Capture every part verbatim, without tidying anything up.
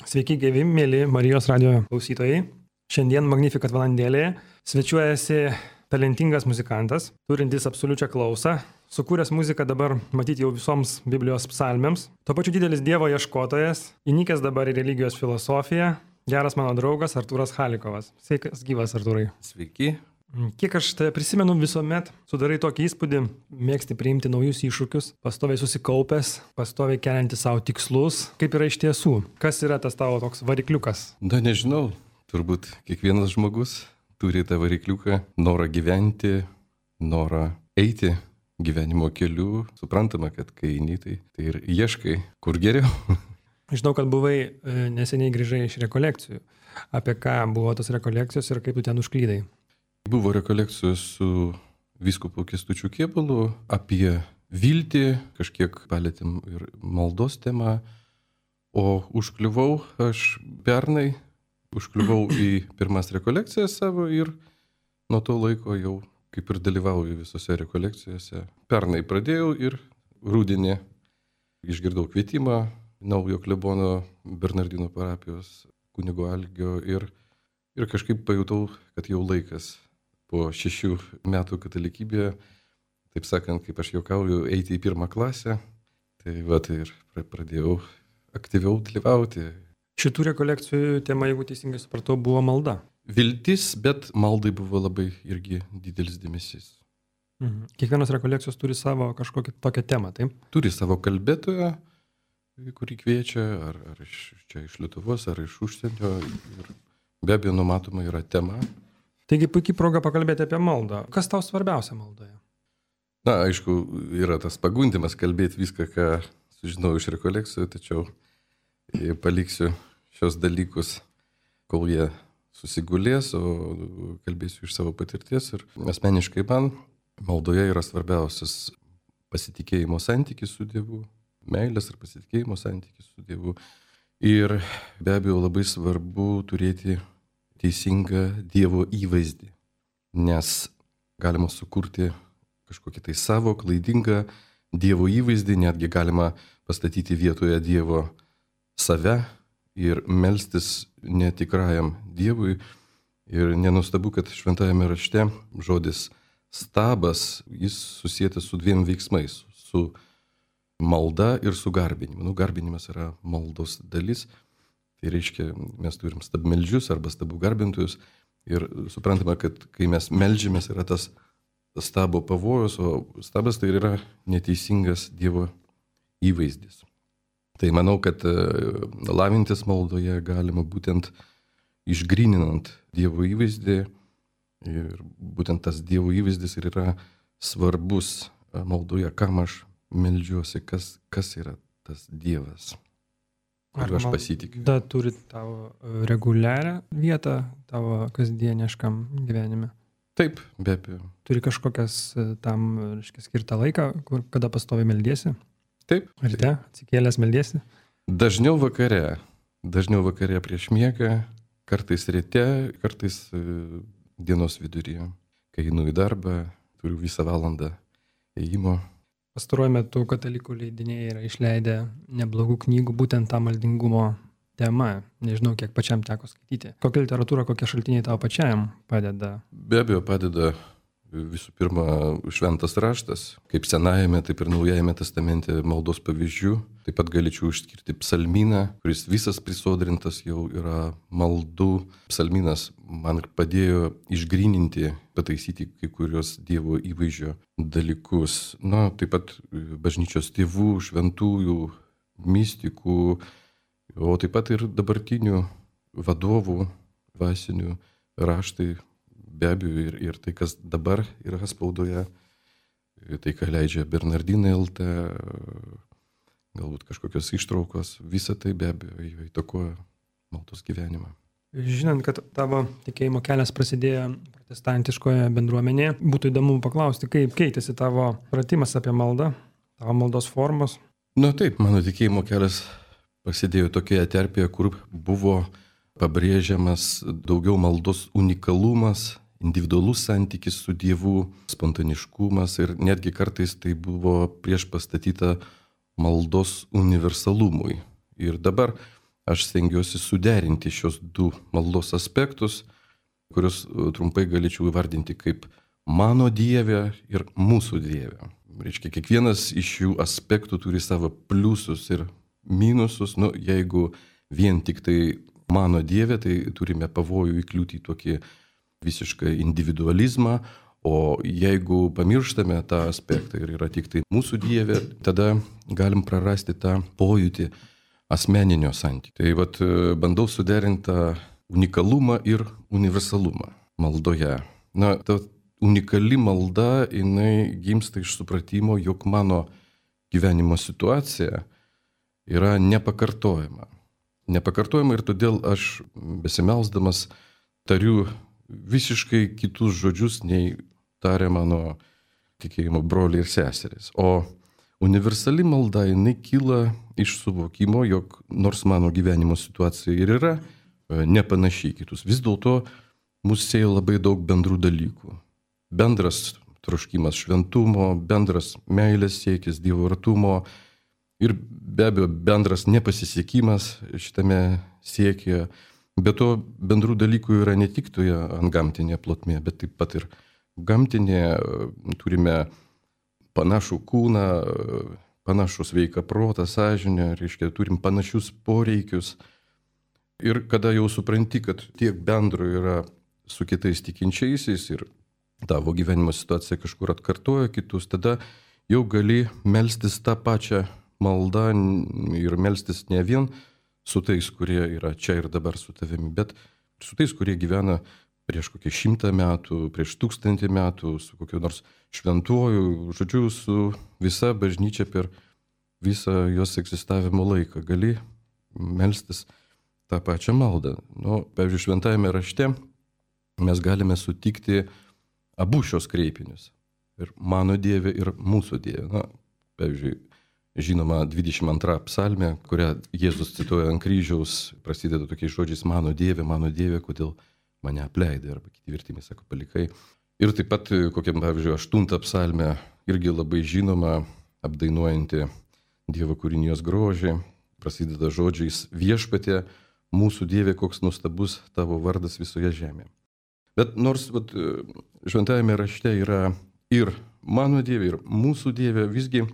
Sveiki, gyvi, mėly Marijos radijo klausytojai. Šiandien Magnificat valandėlėje svečiuojasi talentingas muzikantas, turintis absoliučią klausą, sukūręs muziką dabar matyti jau visoms Biblijos psalmėms, tuo pačiu didelis Dievo ieškotojas, įnikęs dabar į religijos filosofiją, geras mano draugas Artūras Chalikovas. Sveikas gyvas, Artūrai. Sveiki. Kiek aš tai prisimenu, visuomet sudarai tokį įspūdį, mėgsti priimti naujus iššūkius, pastoviai susikaupęs, pastoviai kelianti savo tikslus. Kaip yra iš tiesų? Kas yra tas tavo toks varikliukas? Na, nežinau. Turbūt kiekvienas žmogus turi tą varikliuką, norą gyventi, norą eiti gyvenimo keliu. Suprantama, kad kai eini, tai, tai ir ieškai, kur geriau. Žinau, kad buvai neseniai grįžai iš rekolekcijų. Apie ką buvo tos rekolekcijos ir kaip tu ten užklydai? Buvo rekolekcijos su vyskupu Kęstučiu Kėvalu apie viltį, kažkiek palėtėm ir maldos temą, o užkliuvau aš pernai, užkliuvau į pirmas rekolekcijas savo ir nuo to laiko jau kaip ir dalyvauju visose rekolekcijose. Pernai pradėjau ir rudenį išgirdau kvietimą naujo klebono Bernardino parapijos kunigo Algio ir, ir kažkaip pajutau, kad jau laikas po šešių metų katalikybėje, taip sakant, kaip aš juokauju, eiti į pirmą klasę. Tai va, tai ir pradėjau aktyviau dalyvauti. Šitų rekolekcijų tema, jeigu teisingai supratau, buvo malda. Viltis, bet maldai buvo labai irgi didelis dėmesys. Mhm. Kiekvienos rekolekcijos turi savo kažkokią tokią temą, taip? Turi savo kalbėtoją, kurį kviečia, ar, ar iš, čia iš Lietuvos, ar iš užsienio. Ir be abejo, numatoma yra tema. Taigi puikiai proga pakalbėti apie maldą. Kas tau svarbiausia maldoje? Na, aišku, yra tas pagundimas kalbėti viską, ką sužinau iš rekolekcijų, tačiau paliksiu šios dalykus, kol jie susigulės, o kalbėsiu iš savo patirties. Ir asmeniškai man maldoje yra svarbiausias pasitikėjimo santykis su Dievu, meilės ir pasitikėjimo santykis su Dievu. Ir be abejo labai svarbu turėti teisingą Dievo įvaizdį, nes galima sukurti kažkokį tai savo klaidingą Dievo įvaizdį, netgi galima pastatyti vietoje Dievo save ir melstis netikrajam Dievui. Ir nenustabu, kad šventajame rašte žodis stabas, jis susijęs su dviem veiksmais, su malda ir su garbinimu. Nu, garbinimas yra maldos dalis. Tai reiškia, mes turim stabmeldžius arba stabų garbintojus ir suprantame, kad kai mes meldžiamės yra tas stabo pavojus, o stabas tai yra neteisingas Dievo įvaizdis. Tai manau, kad lavintis maldoje galima būtent išgryninant Dievo įvaizdį ir būtent tas Dievo įvaizdis ir yra svarbus maldoje, kam aš meldžiuosi, kas, kas yra tas Dievas. Ar aš pasitikiu. Da turi tavo reguliarią vietą tavo kasdieniškam gyvenime? Taip, be abejo. Turi kažkokias tam, reiškia, skirtą laiką, kur, kada pastovi meldiesi? Taip. Ryte atsikėlęs meldiesi? Dažniau vakare. Dažniau vakare prieš miegą, kartais ryte, kartais dienos viduryje. Kai einu į darbą, turiu visą valandą ėjimo. Pastaruoju metu katalikų leidiniai yra išleidę neblogų knygų būtent tą maldingumo temą. Nežinau, kiek pačiam teko skaityti. Kokia literatūra, kokie šaltiniai tau pačiam padeda? Be abejo, padeda visų pirma šventas raštas, kaip Senajame, taip ir Naujajame testamente maldos pavyzdžių. Taip pat galėčiau išskirti psalmyną, kuris visas prisodrintas jau yra maldų. Psalmynas man padėjo išgryninti, pataisyti kai kurios Dievo įvaizdžio dalykus. Na, taip pat bažnyčios tėvų, šventųjų, mistikų, o taip pat ir dabartinių vadovų, dvasinių raštai. Be abejo ir, ir tai, kas dabar yra spaudoje, tai, ką leidžia Bernardinai L T, galbūt kažkokios ištraukos, visa tai be abejo įtakoja maldos gyvenimą. Žinant, kad tavo tikėjimo kelias prasidėjo protestantiškoje bendruomenėje, būtų įdomu paklausti, kaip keitėsi tavo pratimas apie maldą, tavo maldos formos? Na taip, mano tikėjimo kelias prasidėjo tokioje terpėje, kur buvo pabrėžiamas daugiau maldos unikalumas, individualus santykis su Dievu, spontaniškumas ir netgi kartais tai buvo prieš pastatyta maldos universalumui. Ir dabar aš stengiuosi suderinti šios du maldos aspektus, kuriuos trumpai galėčiau įvardinti kaip mano Dieve ir mūsų Dieve. Reiškia, kiekvienas iš šių aspektų turi savo pliusus ir minusus. Nu, jeigu vien tik tai mano Dieve, tai turime pavojų įkliūti į tokį visišką individualizmą, o jeigu pamirštame tą aspektą ir yra tik tai mūsų Dieve, tada galim prarasti tą pojūtį asmeninio santykio. Tai vat bandau suderinti tą unikalumą ir universalumą maldoje. Na, ta unikali malda, jinai gimsta iš supratimo, jog mano gyvenimo situacija yra nepakartojama. Nepakartojama ir todėl aš besimelsdamas tariu visiškai kitus žodžius, nei taria mano tikėjimo broliai ir seserys. O universali malda, jinai kyla iš suvokimo, jog nors mano gyvenimo situacija ir yra nepanašiai kitus, vis dėlto mus sieja labai daug bendrų dalykų. Bendras troškimas šventumo, bendras meilės siekis, Dievo artumo ir be abejo bendras nepasisekimas šitame siekyje. Be to bendrų dalykų yra ne tik toje antgamtinėje plotmėje, bet taip pat ir gamtinėje. Turime panašų kūną, panašų sveiką protą, sąžinę, reiškia, turim panašius poreikius. Ir kada jau supranti, kad tiek bendro yra su kitais tikinčiaisiais ir tavo gyvenimo situacija kažkur atkartoja kitus, tada jau gali melstis tą pačią maldą ir melstis ne vien su tais, kurie yra čia ir dabar su tavimi, bet su tais, kurie gyvena prieš kokį šimtą metų, prieš tūkstantį metų, su kokiu nors šventuoju, žodžiu, su visa bažnyčia per visą jos egzistavimo laiką. Gali melstis tą pačią maldą. Nu, pavyzdžiui, šventajame rašte mes galime sutikti abu šios kreipinius. Ir mano Dieve, ir mūsų Dieve. Na, pavyzdžiui, žinoma, dvidešimt antra psalmė, kurią Jėzus cituoja ant kryžiaus, prasideda tokiais žodžiais: mano Dieve, mano Dieve, kodėl mane apleidai, arba kiti vertimai sako palikai. Ir taip pat, kokiam, pavyzdžiui, aštunta psalmė, irgi labai žinoma, apdainuojanti Dievo kūrinijos grožį, prasideda žodžiais: viešpatie, mūsų Dieve, koks nuostabus tavo vardas visoje žemėje. Bet nors vat, šventajame rašte yra ir mano Dieve, ir mūsų Dieve, visgi,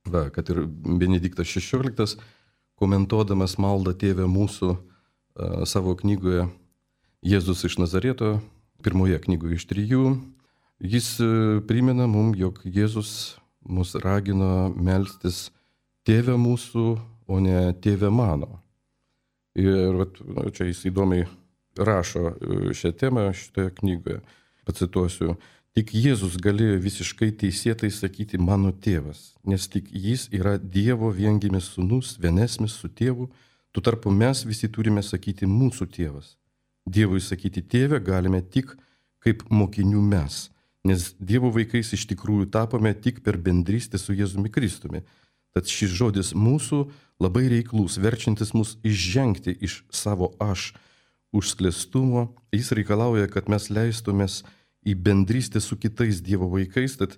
va, kad ir Benediktas šešioliktas, komentuodamas maldą Tėve mūsų a, savo knygoje Jėzus iš Nazareto, pirmoje knygoje iš trijų, jis primena mums, jog Jėzus mus ragino melstis Tėve mūsų, o ne Tėve mano. Ir vat, nu, čia jis įdomiai rašo šią temą šitoje knygoje. Pacituosiu: tik Jėzus galėjo visiškai teisėtai sakyti mano tėvas, nes tik jis yra Dievo viengimis sūnus, vienesmis su tėvu, tu tarpu mes visi turime sakyti mūsų tėvas. Dievui sakyti tėve galime tik kaip mokinių mes, nes Dievo vaikais iš tikrųjų tapome tik per bendrystę su Jėzumi Kristumi. Tad šis žodis mūsų labai reiklus, verčiantis mus išžengti iš savo aš užsklėstumo. Jis reikalauja, kad mes leistumės į bendrystę su kitais Dievo vaikais, tad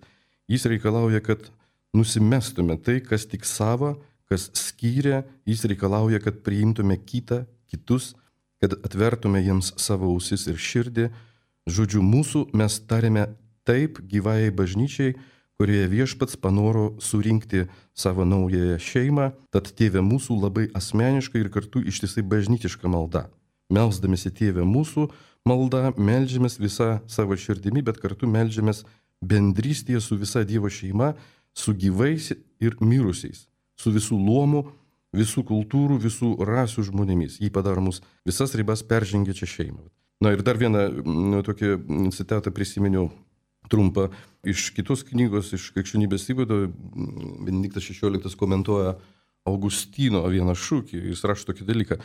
jis reikalauja, kad nusimestume tai, kas tik sava, kas skyrė. Jis reikalauja, kad priimtume kitą, kitus, kad atvertume jiems savo ausis ir širdį. Žodžiu, mūsų mes tarėme taip gyvajai bažnyčiai, kurioje viešpats panoro surinkti savo naująją šeimą, tad Tėve mūsų labai asmeniška ir kartu ištisai bažnytiška malda. Melsdamėsi Tėve mūsų malda, meldžiamės visą savo širdimi, bet kartu meldžiamės bendrystėje su visa Dievo šeima, su gyvais ir mirusiais, su visų luomų, visų kultūrų, visų rasių žmonėmis. Jį padaro mus visas ribas peržengiančią šeimą. Na ir dar vieną nu, tokį citatą prisiminiau trumpą iš kitos knygos, iš Krikščionybės įvado. Benediktas šešioliktas komentuoja Augustino vieną šūkį. Jis rašo tokį dalyką: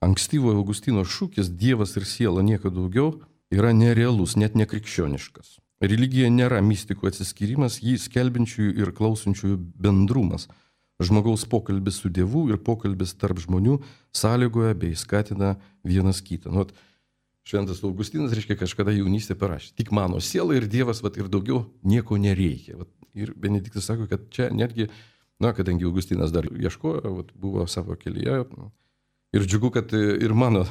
ankstyvojo Augustino šūkis Dievas ir siela, nieko daugiau, yra nerealus, net nekrikščioniškas. Religija nėra mistikų atsiskyrimas, jį skelbiančiųjų ir klausančiųjų bendrumas. Žmogaus pokalbis su Dievu ir pokalbis tarp žmonių sąlygoja bei skatina vienas kitą. Nu, Šventas Augustinas, reiškia, kažkada jaunystė parašė: tik mano siela ir Dievas, vat, ir daugiau nieko nereikia. Vat, ir Benediktas sako, kad čia netgi, na, kadangi Augustinas dar ieškojo, vat, buvo savo kelyje, Ir džiugu, kad ir mano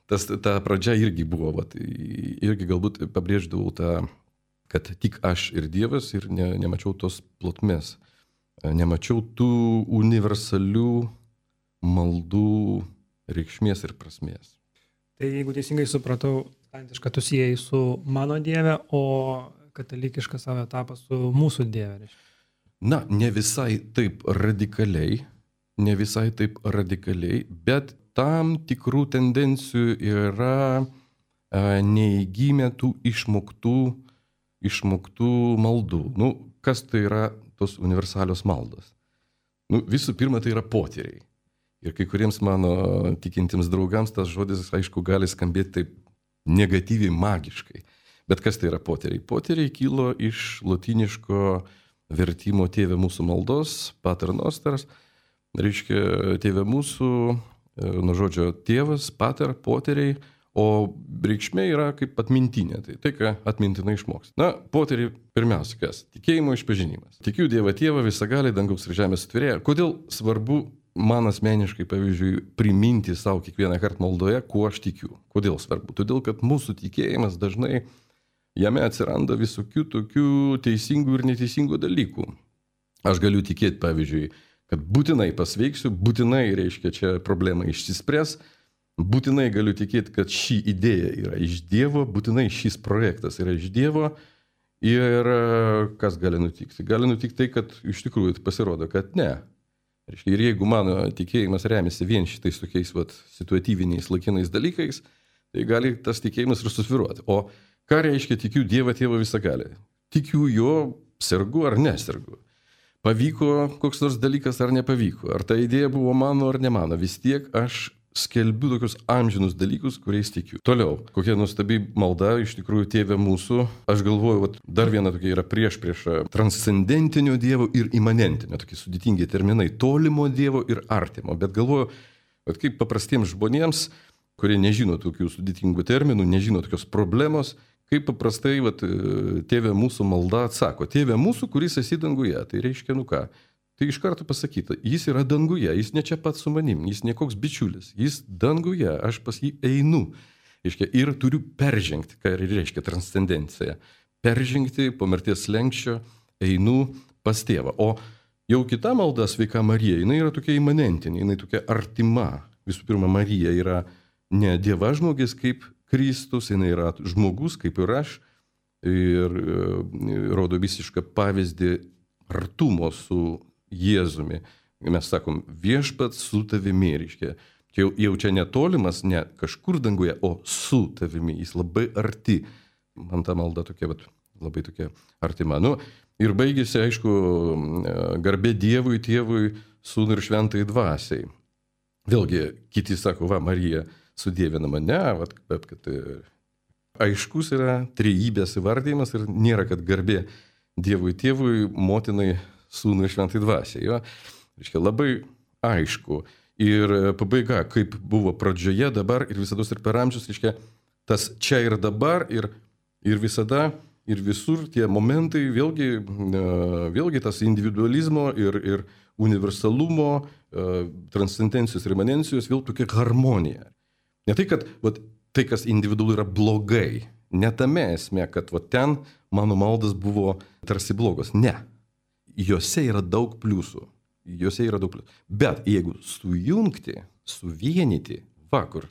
tas, ta pradžia irgi buvo, vat, irgi galbūt pabrėždavau tą, kad tik aš ir Dievas ir ne, nemačiau tos plotmės, nemačiau tų universalių maldų reikšmės ir prasmės. Tai jeigu teisingai supratau, protestantišką tu siejai su mano Dieve, o katalikišką savo etapą su mūsų Dieve. Na, ne visai taip radikaliai, ne visai taip radikaliai, bet tam tikrų tendencijų yra a, neįgymė tų išmoktų, išmoktų maldų. Nu, kas tai yra tos universalios maldos? Nu, visų pirma, tai yra potyriai. Ir kai kuriems mano tikintiems draugams tas žodis, aišku, gali skambėti taip negatyviai, magiškai. Bet kas tai yra potyriai? Potyriai kilo iš lotyniško vertimo Tėve mūsų maldos, Pater Noster, reiškia Tėve mūsų, nuo žodžio tėvas, pater, poteriai, o reikšmė yra kaip atmintinė, tai tai, ką atmintinai išmoks. Na, poteriai pirmiausia, kas? Tikėjimo išpažinimas. Tikiu Dievą Tėvą, visagalį, dangaus ir žemės sutvėrėją. Kodėl svarbu man asmeniškai, pavyzdžiui, priminti savo kiekvieną kartą maldoje, kuo aš tikiu? Kodėl svarbu? Todėl, kad mūsų tikėjimas dažnai jame atsiranda visokių tokių teisingų ir neteisingų dalykų. Aš galiu tikėti, pavyzdžiui, kad būtinai pasveiksiu, būtinai, reiškia, čia problema išsispręs, būtinai galiu tikėti, kad ši idėja yra iš Dievo, būtinai šis projektas yra iš Dievo ir kas gali nutikti? Gali nutikti tai, kad iš tikrųjų pasirodo, kad ne. Reiškia, ir jeigu mano tikėjimas remiasi vien šitais tokiais vat, situatyviniais laikinais dalykais, tai gali tas tikėjimas ir susviruoti. O ką reiškia tikiu Dievą Tėvą visagalį? Tikiu jo, sergu ar nesergu. Pavyko koks nors dalykas ar nepavyko, ar ta idėja buvo mano ar ne mano, vis tiek aš skelbiu tokius amžinus dalykus, kuriais tikiu. Toliau, kokia nuostabi malda, iš tikrųjų Tėve mūsų, aš galvoju, vat, dar viena tokia yra prieš prieš transcendentinio Dievo ir imanentinio, tokie sudėtingi terminai, tolimo Dievo ir artimo, bet galvoju, vat, kaip paprastiems žmonėms, kurie nežino tokių sudėtingų terminų, nežino tokios problemos, kaip paprastai vat, Tėve mūsų malda atsako. Tėve mūsų, kuris esi danguje. Tai reiškia, nu ką, tai iš karto pasakyta, jis yra danguje, jis ne čia pat su manim, jis ne koks bičiulis, jis danguje, aš pas jį einu. Reiškia, ir turiu peržengti, ką reiškia transcendencija. Peržengti po mirties slenksčio, einu pas Tėvą. O jau kita malda, sveika Marija, jinai yra tokia imanentinė, jinai tokia artima. Visų pirma, Marija yra ne dievažmogis kaip Kristus, jinai yra žmogus, kaip ir aš, ir rodo visišką pavyzdį artumo su Jėzumi. Mes sakom, viešpats su tavimi, reiškia, jau, jau čia netolimas, ne kažkur danguje, o su tavimi, jis labai arti. Man ta malda tokia, bet labai tokia artima. Nu, ir baigėsi, aišku, garbė Dievui, Tėvui, Sūnui ir Šventai Dvasiai. Vėlgi, kiti sako, va, Marija sudievinama, ne, vat, bet kad aiškus yra trejybės įvardymas ir nėra, kad garbė Dievui Tėvui, motinai, Sūnui ir Šventai Dvasiai. Jo? Reiškia, labai aišku. Ir pabaiga, kaip buvo pradžioje, dabar ir visados ir per amžius, reiškia, tas čia ir dabar ir, ir visada ir visur tie momentai, vėlgi, vėlgi tas individualizmo ir, ir universalumo, transcendencijos ir imanencijos, vėl tokia harmonija. Ne tai, kad vat, tai, kas individualu, yra blogai. Ne tame esmė, kad vat, ten mano maldas buvo tarsi blogos. Ne. Jose yra daug pliusų. Jose yra daug pliusų. Bet jeigu sujungti, suvienyti, va kur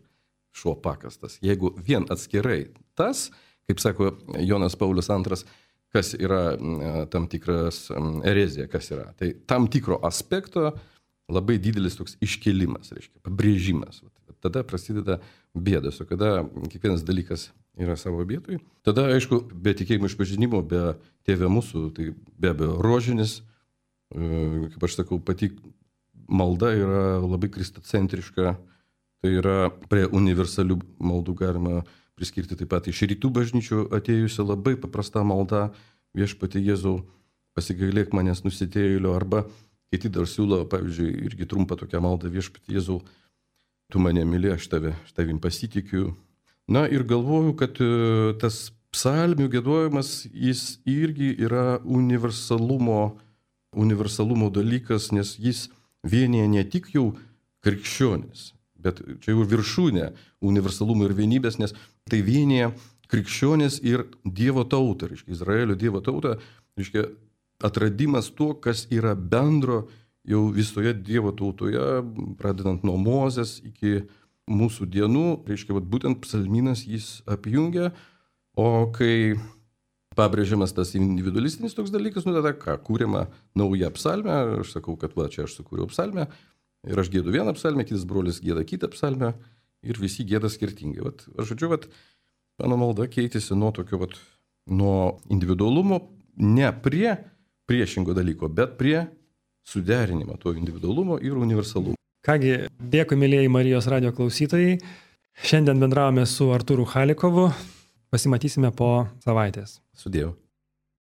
šuo pakastas, jeigu vien atskirai tas, kaip sako Jonas Paulius antras, kas yra tam tikras erezija, kas yra. Tai tam tikro aspekto labai didelis toks iškėlimas, reiškia, pabrėžimas. Tada prasideda bėdas, o kada kiekvienas dalykas yra savo vietoj. Tada, aišku, be tikėjimo išpažinimo, be Tėve mūsų, tai be abejo rožinis, kaip aš sakau, pati malda yra labai kristocentriška, tai yra prie universalių maldų galima priskirti taip pat iš rytų bažnyčių atėjusi labai paprasta malda, viešpatie Jėzau, pasigailėk manęs nusidėjėlio, arba kiti dar siūlo, pavyzdžiui, irgi trumpą tokią maldą, viešpatie Jėzau, tu mane myli, aš tave, aš tavim pasitikiu. Na ir galvoju, kad tas psalmių giedojimas, jis irgi yra universalumo, universalumo dalykas, nes jis vienyje ne tik jau krikščionis, bet čia jau viršūnė universalumo ir vienybės, nes tai vienyje krikščionės ir Dievo tautą, reiškia, Izraelio Dievo tautą, reiškia, atradimas to, kas yra bendro jau visoje Dievo tautoje, pradedant nuo Mozės iki mūsų dienų, reiškia, vat, būtent psalmynas jis apjungia, o kai pabrėžiamas tas individualistinis toks dalykas, nu tada ką, kūrima nauja psalmė, aš sakau, kad va, čia aš sukūriau psalmę, ir aš gėdu vieną psalmę, kitas brolis gėda kitą psalmę, ir visi gėda skirtingai. Vat, aš žodžiu, vat, mano malda keitėsi nuo tokio, vat, nuo individualumo, ne prie priešingo dalyko, bet prie suderinimo to individualumo ir universalumo. Kągi, dėkui, mėlyjei Marijos radio klausytojai. Šiandien bendravome su Artūru Chalikovu. Pasimatysime po savaitės. Sudėjau.